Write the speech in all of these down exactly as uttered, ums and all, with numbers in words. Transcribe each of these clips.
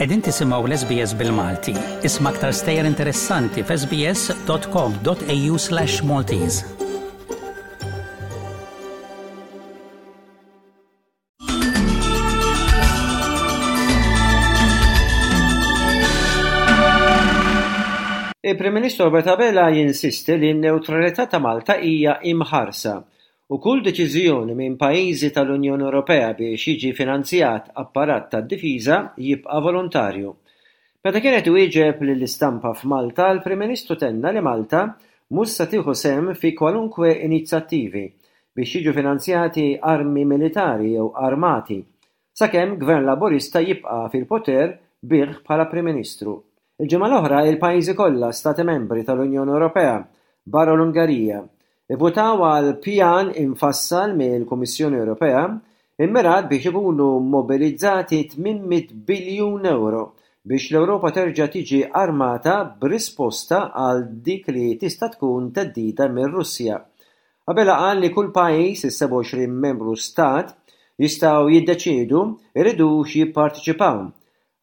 Qegħdin tisimgħu l-S B S bil-Malti. Isma' aktar stejjer interessanti f'S B S dot com dot A U slash Maltese. Il-Prim Ministru Robert Abela jinsisti li n-newtralità ta' Malta hija imħarsa u kull deċiżjoni minn pajjiżi tal-Unjoni Ewropea biex jiġi finanzjat apparat tad-difiża jibqa' volontarju. Meta kien qed iwieġeb lill-istampa f'Malta, il-Prim Ministru tenna li Malta mhux se tieħu sehem fi kwalunkwe inizjattivi biex jiġu finanzjati armi militari jew armati sakemm Gvern Laburista jibqa' fil-poter bih bħala Prim Ministru. Il-ġimgħa l-oħra, il-pajjiżi kollha stati membri tal-Unjoni Ewropea barra l-Ungerija ivvutaw għal pjan infassal mill-Kummissjoni Ewropea immirat biex ikunu mobilizzati tmien mitt biljun euro biex l-Ewropa terġa' tiġi armata b'risposta għal dik li tista' tkun theddida mir-Russja. Abela qal li kull pajjiż, is-sebgħa u għoxrin membru stat, jistgħu jiddeċiedu jridux jipparteċipaw.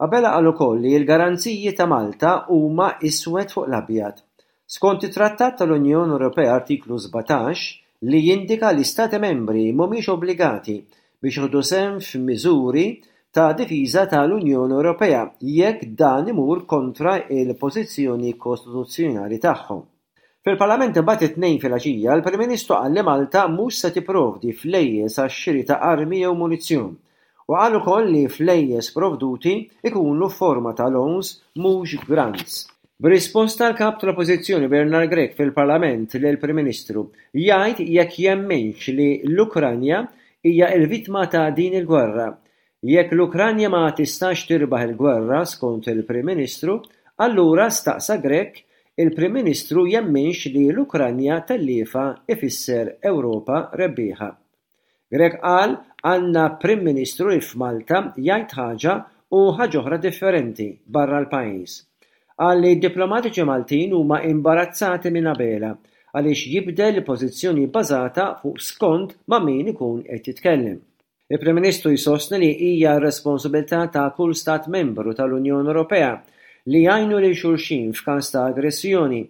Abela qal ukoll li l-garanziji ta' Malta huma iswed fuq l-abjad. Skont it-Trattat tal-Unjoni Ewropea, artiklu sbatax, li jindika li stati membri mhumiex obbligati biex jieħdu sehem f'miżuri ta' difiża tal-Unjoni Ewropea jekk dan imur kontra il-pożizzjoni kostituzzjonali tagħhom. Fil-Parlament imbagħad, it-Tnejn filgħaxija, il-Prim Ministru qal li Malta mhux se tipprovdi flejjes għax-xiri ta' armi jew munizzjon u qal ukoll li flejjes provduti ikunu f'forma ta' loans, mhux grants. B'risposta l-kap tal-Oppożizzjoni Bernard Grech fil-Parlament lill-Prim Ministru jgħid jekk jemminx li l-Ukranja hija l-vittma ta' din il-gwerra. Jekk l-Ukranja ma tistax tirbaħ il-gwerra skont il-Prim Ministru, allura, staqsa Grech, il-Prim Ministru jemminx li l-Ukranja telliefa ifisser Ewropa rebbieħa. Grech qal għandna Prim Ministru li f'Malta jgħid ħaġa u ħaġa oħra differenti barra l-pajjiż. Qal li diplomatiċi Maltin huma imbarazzati minn Abela għaliex jibdel il-pożizzjoni bbażata fuq skont ma' min ikun qed jitkellem. Il-Prim Ministru jsostni li hija r-responsabilità ta' kull stat membru tal-Unjoni Ewropea li jgħinu lil xulxin f'każ ta' aggressjoni.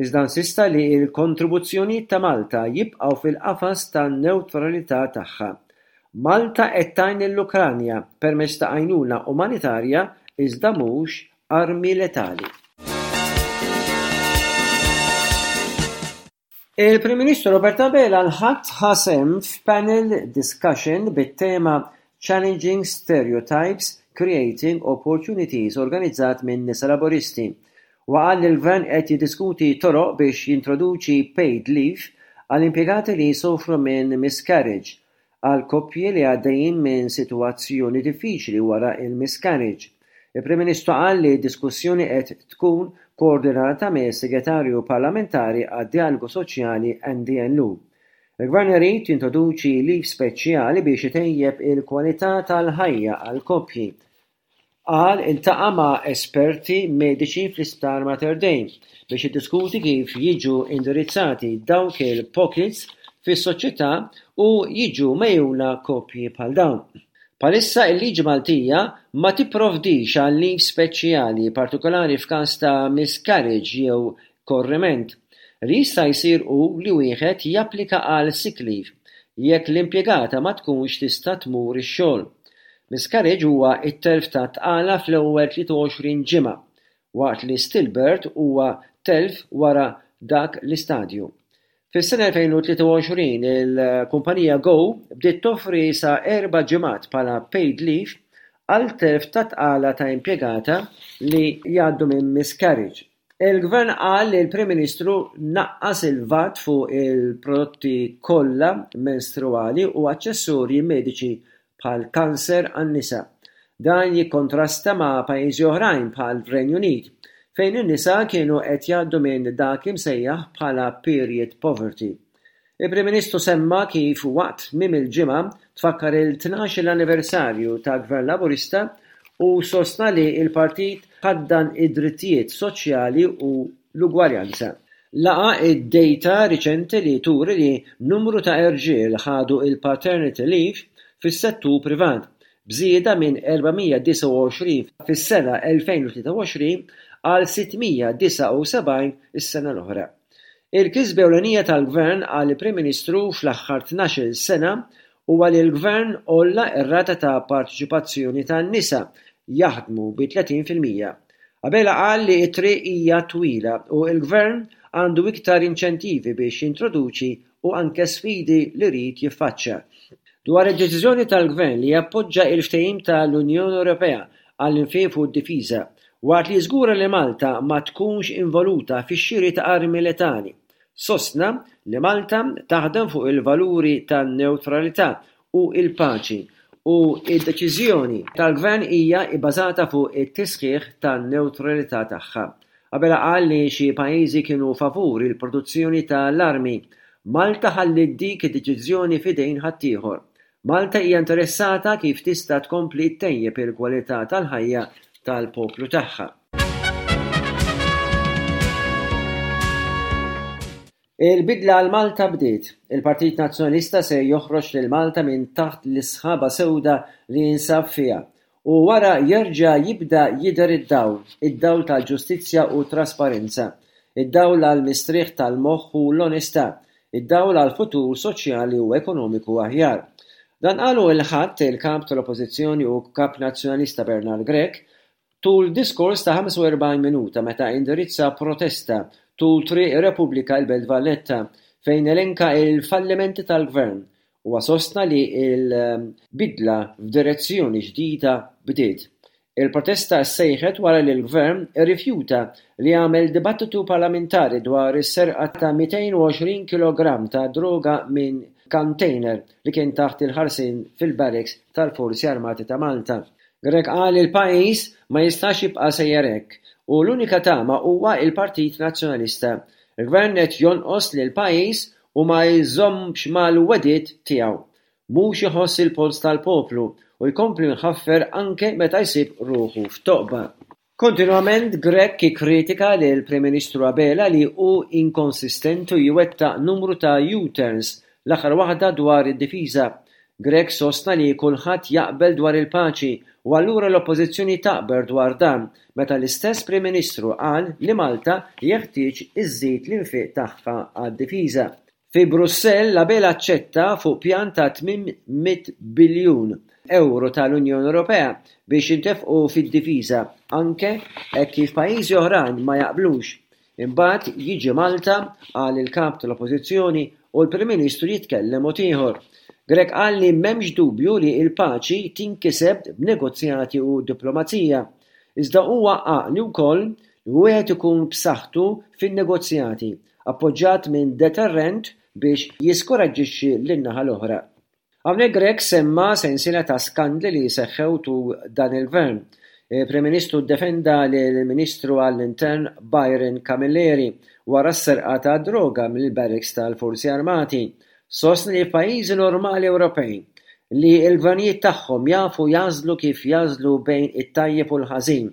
Iżda insista li l-kontribuzzjonijiet ta' Malta jibqgħu fil-qafas tan-newtralità tagħha. Malta qed tgħin lill-Ukranja permezz ta' għajnuna umanitarja, iżda mhux armi letali. Il-Prim Ministru Robert Abela l-Ħadd ħa sehem f'panel discussion bit-tema "Challenging Stereotypes, Creating Opportunities" organizzat minn Nisa Laburisti. U qal li l-Gvern qed jiddiskuti toroq biex jintroduċi paid leave għal impjegati li jsofru minn miscarriage, għal koppji li għaddejjin minn sitwazzjoni diffiċli wara il-miscarriage. Il-Prim Ministru qal li d-diskussjoni qed tkun koordinata mis-Segretarju Parlamentari għad-Dialogu Soċjali Andy Ellul. Il-Gvern irid jintroduċi leave speċjali biex itejjeb il-kwalità tal-ħajja għal koppji. Qal iltaqa' ma' esperti mediċi fl-Isptar Mater Dei biex jiddiskuti kif jiġu indirizzati dawk il-pockets fis-soċjetà u jiġu megħjuna koppji bħal dawn. Bħalissa il-liġi Maltija ma tipprovdix għal leave speċjali partikolari f'każ ta' miscarriage jew korriment. Li jista' jsir hu li wieħed japplika għal sick leave jekk l-impjegata ma tkunx tista' tmur ix-xogħol. Miscarriage huwa t-telf ta' tqala fl-ewwel tlieta u għoxrin ġimgħa, waqt li stillbirth huwa telf wara dak l-istadju. Fis-sena elfejn u tlieta u għoxrin il-kumpanija Go bdiet toffri sa erba' ġimgħat bħala paid leave għal telf ta' tqala ta' impjegata li jgħaddu minn miscarriage. Il-Gvern qal li l-Prim Ministru naqqas il-VAT fuq il-prodotti kollha menstruali u aċċessorji mediċi bħal kanser għan-nisa. Dan jikkontrasta ma' pajjiżi oħrajn bħal Renju Unit, fejn in-nisa kienu qed jgħaddu minn dak imsejjaħ bħala period poverty. Il-Prim Ministru semma kif waqt tmiem il-ġimgħa tfakkar il-tnax-il anniversarju ta' Gvern Laburista u sostna li l-partit ħaddan id-drittijiet soċjali u l-ugwaljanza. Laqa id-data riċenti li turi li numru ta' irġiel ħadu il-paternity leave fis-settur privat. b'żieda minn erba' mija disgħa u għoxrin fis-sena elfejn u tlieta u għoxrin għal sitt mija disgħa u sebgħin is-sena l-oħra. Il-kisba ewlenija tal-Gvern, qal il-Prim Ministru, fl-aħħar tnax-il sena huwa li l-Gvern għolla r-rata ta' parteċipazzjoni tan-nisa jaħdmu bi tletin fil-mija. Abela qal li t-triq hija twila u l-Gvern għandu iktar inċentivi biex jintroduċi u anke sfidi li jrid jiffaċċja. Dwar id-deċiżjoni tal-Gvern li jappoġġa il-ftehim tal-Unjoni Ewropea għall-infiq fuq id-difiża, waqt li jiżgura li Malta ma tkunx involuta fix-xiri ta' armi letali, sostna li Malta taħdem fuq il-valuri tan-newtralità u l-paċi u d-deċiżjoni tal-Gvern hija bbażata fuq it-tisħiħ tan-newtralità tagħha. Abela qal li xi pajjiżi kienu favur il-produzzjoni tal-armi. Malta ħalliet dik id-deċiżjoni f'idejn ħaddieħor. Malta hija interessata kif tista' tkompli ttejjeb il-kwalità tal-ħajja tal-poplu tagħha. Il-bidla għal Malta bdiet. Il-Partit Nazzjonalista se joħroġ lil Malta minn taħt l-isħaba sewda li jinsab fiha u wara jerġa' jibda jidher id-dawl, id-dawl tal-ġustizzja u trasparenza, id-dawl għall-mistrieħ tal-moħħ u l-onestà, id-dawl għal futur soċjali u ekonomiku aħjar. Dan qalu l-Ħadd il-Kap tal-Oppożizzjoni u Kap Nazzjonalista Bernard Grech tul diskors ta' ħamsa u erbgħin minuta meta indirizza protesta tul Triq ir-Repubblika il-Belt Valletta fejn elenka il-fallimenti tal-Gvern. Huwa sostna li l-bidla f'direzzjoni ġdida bdiet. Il-protesta ssejħet wara li l-Gvern irrifjuta li jagħmel dibattitu parlamentari dwar is-serqa ta' mitejn u għoxrin kilogramm ta' droga minn container li kien taħt il-ħarsien fil-barracks tal-Forzi Armati ta' Malta. Grech qal li l-pajjiż ma jistax jibqa' sejjer hekk u l-unika tama huwa l-Partit Nazzjonalista. Il-Gvern qed jonqos lil pajjiż u ma jżommx mal-wegħdiet tiegħu. Mhux iħoss il-polz tal-poplu u jkompli jħaffer anke meta jsib ruħu f'toqba. Kontinwament Grech ikkritika lil Prim Ministru Abela li hu inkonsistenti u jwettaq numru ta' U-turns, l-aħħar waħda dwar id-difiża. Grech sostna li kulħadd jaqbel dwar il-paċi u allura l-Oppożizzjoni taqbel dwar dan meta l-istess Prim Ministru qal li Malta jeħtieġ iżżid l-infiq tagħha għad-difiża. Fi Brussell, Abela aċċetta fuq pjan ta' tmien mitt biljun euro tal-Unjoni Ewropea biex jintefqu fid-difiża, anke hekk kif pajjiżi oħrajn ma jaqblux. Imbagħad jiġi Malta, qal il-kap tal-Oppożizzjoni, u l-Prim Ministru jitkellem mod ieħor. Grech qal li m'hemmx dubju li l-paċi tinkiseb b'negozjati u diplomazija, iżda huwa għaqli wkoll li wieħed ikun b'saħħtu fin-negozjati, appoġġjat minn deterrent biex jiskoraġġixxi lin-naħa l-oħra. Hawnhekk Grech semma sensiela ta' skandli li seħħew tul dan il-gvern. Il-Prim Ministru ddefenda lill-Ministru għall-Intern Byron Camilleri wara s-serqa ta' droga mill-barracks tal-Forzi Armati. Sostna li f'pajjiżi normali Ewropej li l-gvernijiet tagħhom jafu jażlu kif jażlu bejn it-tajjeb u l-ħażin.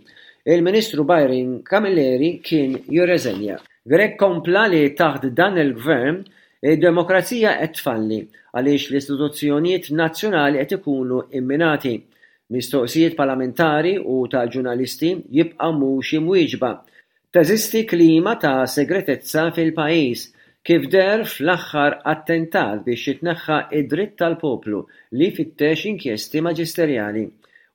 Il-Ministru Byron Camilleri kien jirreżenja. Grech kompla li taħt dan il-gvern id-demokrazija qed tfalli għaliex l-istituzzjonijiet nazzjonali qed ikunu imminati. Mistoqsijiet parlamentari u ta' ġurnalisti jibqa' mhux imwieġba. Teżisti klima ta' segretezza fil-pajjiż kif deher fl-aħħar attentat biex jitneħħa id-dritt tal-poplu li jfittex inkjesti maġisterjali.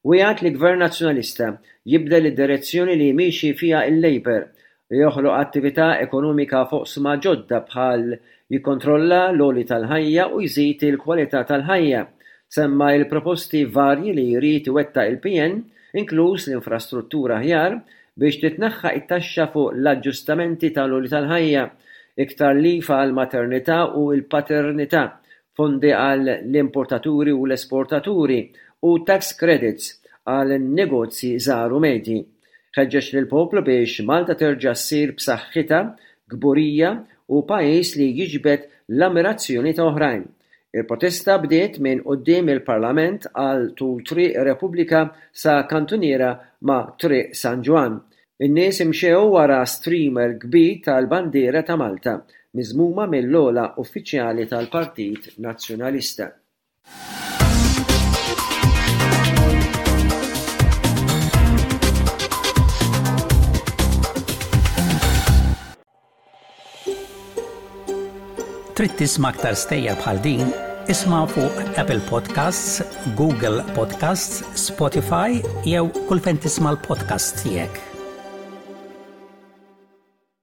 Wiegħed li Gvern Nazzjonalista jibdel id-direzzjoni li miexi fiha il-Labour, li joħloq attività ekonomika foqsma ġodda bħal jikkontrolla l-għoli tal-ħajja u jżid il-kwalità tal-ħajja. Semma il-proposti varji li jrid iwettaq il-P N, inkluż l-infrastruttura aħjar biex titneħħa it-taxxa fuq l-aġġustamenti tal-għoli tal-ħajja, iktar lif għall-maternità u l-paternità, fondi għall-importaturi u l-esportaturi u tax credits għal negozji żgħar u medji. Ħeġġeġ lill-poplu biex Malta terġa' ssir b'saħħitha, kburija u pajjiż li jiġbed l-ammirazzjoni ta' oħrajn. Il-protesta bdiet minn quddiem il-Parlament għal tul Triq Repubblika sa kantuniera ma' Triq San Ġwann. In-nies imxew wara streamer kbir tal-bandiera ta' Malta, miżmuma mill-ogħla uffiċjali tal-Partit Nazzjonalista. Trid tisma' aktar stejjer bħal din? Isma' fuq Apple Podcasts, Google Podcasts, Spotify jew kull fejn tisma' l-podcasts tiegħek.